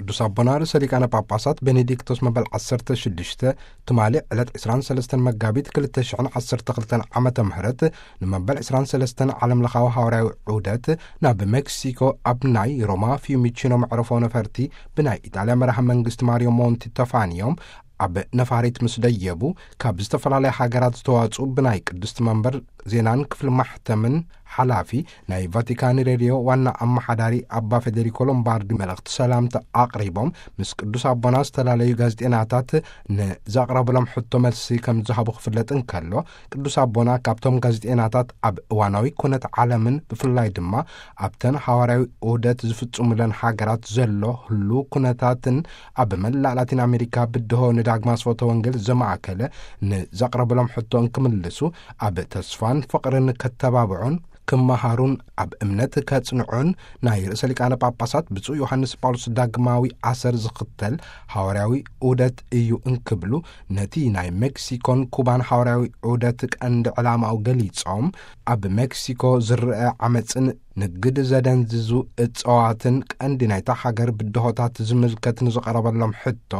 ቅዱስ ኣቦና ርእሰ ሊቃነ ጳጳሳት ቤኔዲክቶስ መበል ዓሰርተ ሽዱሽተ ትማሊ ዕለት ዕስራን ሰለስተን መጋቢት ክልተ ሽሕን ዓሰርተ ክልተን ዓመተ ምህረት ንመበል ዕስራን ሰለስተን ዓለም ለኻዊ ሃዋርያዊ ዑደት ናብ ሜክሲኮ ኣብ ናይ ሮማ ፊዩሚቺኖ መዕረፎ ነፈርቲ ብናይ ኢጣልያ መራሒ መንግስቲ ማሪዮ ሞንቲ ተፋንዮም ኣብ ነፋሪት ምስ ደየቡ፣ ካብ ዝተፈላለያ ሃገራት ዝተዋጽኡ ብናይ ቅድስቲ መንበር ዜናን ክፍሊ ማሕተምን ሓላፊ ናይ ቫቲካን ሬድዮ ዋና ኣመሓዳሪ ኣባ ፌዴሪኮ ሎምባርዲ መልእኽቲ ሰላምታ ኣቕሪቦም፣ ምስ ቅዱስ ኣቦና ዝተፈላለዩ ጋዜጤናታት ንዘቕረብሎም ሕቶ መልሲ ከም ዝሃቡ ክፍለጥ እንከሎ፣ ቅዱስ ኣቦና ካብቶም ጋዜጤናታት ኣብ እዋናዊ ኩነት ዓለምን ብፍላይ ድማ ኣብተን ሃዋርያዊ ዑደት ዝፍጽሙለን ሃገራት ዘሎ ህሉው ኩነታትን ኣብ መላእ ላቲን ኣሜሪካ ብድሆ ንዳግማ ስፎተ ወንጌል ዘማእከለ ንዘቕረብሎም ሕቶ እንክምልሱ፣ ኣብ ተስፋን ፍቕርን ከተባብዑን ክመሃሩን ኣብ እምነት ከጽንዑን ናይ ርእሰ ሊቃነ ጳጳሳት ብፁዕ ዮሃንስ ጳውሎስ ዳግማዊ ኣሰር ዝኽተል ሃዋርያዊ ዑደት እዩ እንክብሉ፣ ነቲ ናይ ሜክሲኮን ኩባን ሃዋርያዊ ዑደት ቀንዲ ዕላማኡ ገሊጾም፣ ኣብ ሜክሲኮ ዝረአ ዓመጽን ንግድ ዘደንዝዙ እጽዋትን ቀንዲ ናይታ ሃገር ብድሆታት ዝምልከት ንዝቐረበሎም ሕቶ፣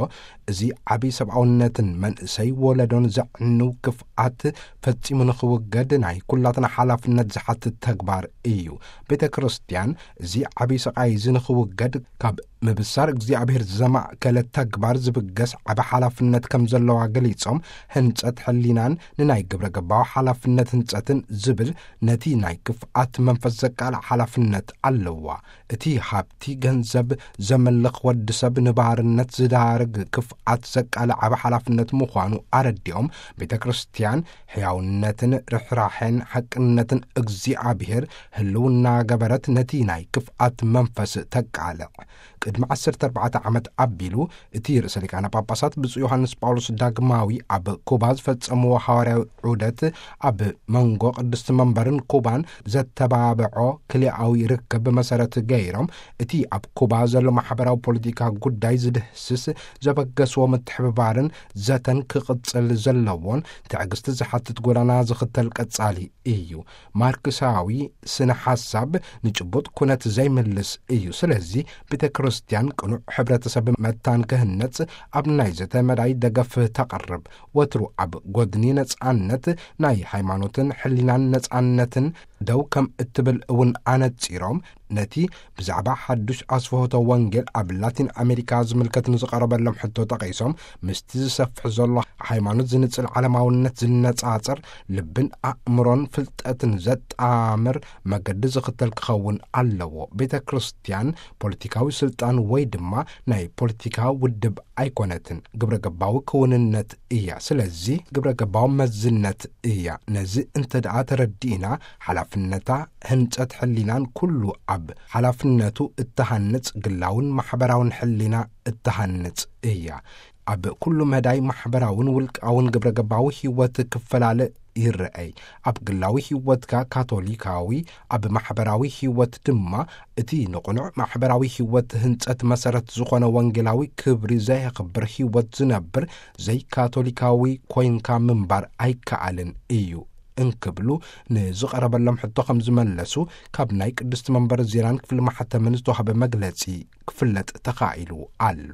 እዚ ዓቢ ሰብኣውነትን መንእሰይ ወለዶን ዘዕንው ክፍኣት ፈጺሙ ንኽውገድ ናይ ኩላትና ሓላፍነት ዝሓትት ተግባር እዩ። ቤተ ክርስቲያን እዚ ዓቢ ስቓይ እዚ ንኽውገድ ካብ ምብሳር እግዚኣብሔር ዘማእከለ ተግባር ዝብገስ ዓቢ ሓላፍነት ከም ዘለዋ ገሊጾም፣ ህንጸት ሕሊናን ንናይ ግብረ ገባዊ ሓላፍነት ህንጸትን ዝብል ነቲ ናይ ክፍኣት መንፈስ ዘቃልዕ ሓላፍነት ኣለዋ። እቲ ሃብቲ ገንዘብ ዘመልኽ ወዲ ሰብ ንባርነት ዝዳርግ ክፍኣት ዘቃልዕ ዓቢ ሓላፍነት ምዃኑ ኣረዲኦም፣ ቤተ ክርስቲያን ሕያውነትን ርሕራሐን ሓቅነትን እግዚኣብሔር ህልውና ገበረት ነቲ ናይ ክፍኣት መንፈስ ተቃልዕ። ቅድሚ ዓሰርተ ኣርባዕተ ዓመት ኣቢሉ እቲ ርእሰ ሊቃነ ጳጳሳት ብፁዕ ዮሃንስ ጳውሎስ ዳግማዊ ኣብ ኩባ ዝፈጸምዎ ሃዋርያዊ ዑደት ኣብ መንጎ ቅድስቲ መንበርን ኩባን ዘተባብዖ ክልኣዊ ርክብ መሰረት ገይሮም፣ እቲ ኣብ ኩባ ዘሎ ማሕበራዊ ፖለቲካ ጉዳይ ዝድህስስ ዘበገስዎ ምትሕብባርን ዘተን ክቕጽል ዘለዎን ትዕግስቲ ዝሓትት ጎዳና ዝኽተል ቀጻሊ እዩ። ማርክሳዊ ስነ ሓሳብ ንጭቡጥ ኩነት ዘይምልስ እዩ። ስለዚ ቤተ ክርስቲያን ቅኑዕ ሕብረተሰብ መታን ክህነጽ ኣብ ናይ ዘተ መዳይ ደገፍ ተቕርብ። ወትሩ ኣብ ጎድኒ ነጻነት ናይ ሃይማኖትን ሕሊናን ነጻነትን ደው ከም እትብል እውን ኣነጺሮም፣ ነቲ ብዛዕባ ሓዱሽ ኣስፍሆተ ወንጌል ኣብ ላቲን ኣሜሪካ ዝምልከት ንዝቐረበሎም ሕቶ ጠቒሶም፣ ምስቲ ዝሰፍሕ ዘሎ ሃይማኖት ዝንጽል ዓለማውነት ዝነጻጸር፣ ልብን ኣእምሮን ፍልጠትን ዘጣምር መገዲ ዝኽተል ክኸውን ኣለዎ። ቤተ ክርስቲያን ፖለቲካዊ ስልጣን ወይ ድማ ናይ ፖለቲካ ውድብ ኣይኮነትን። ግብረ ገባዊ ክውንነት እያ። ስለዚ ግብረ ገባዊ መዝነት እያ። ነዚ እንተ ደኣ ተረዲእና፣ ሓላፍነታ ህንጸት ሕሊናን ኩሉ ኣብ ሓላፍነቱ እተሃንጽ ግላውን ማሕበራውን ሕሊና እተሃንጽ እያ። ኣብ ኩሉ መዳይ ማሕበራውን ውልቃውን ግብረ ገባዊ ህይወት ክፈላለ ይረኣይ። ኣብ ግላዊ ህይወትካ ካቶሊካዊ፣ ኣብ ማሕበራዊ ህይወት ድማ እቲ ንቕኑዕ ማሕበራዊ ህይወት ህንጸት መሰረት ዝኾነ ወንጌላዊ ክብሪ ዘየኽብር ህይወት ዝነብር ዘይካቶሊካዊ ኮይንካ ምንባር ኣይከኣልን እዩ እንክብሉ ንዝቐረበሎም ሕቶ ከም ዝመለሱ ካብ ናይ ቅድስቲ መንበር ዜናን ክፍሊ ማሕተምን ዝተዋህበ መግለጺ ክፍለጥ ተኻኢሉ ኣሎ።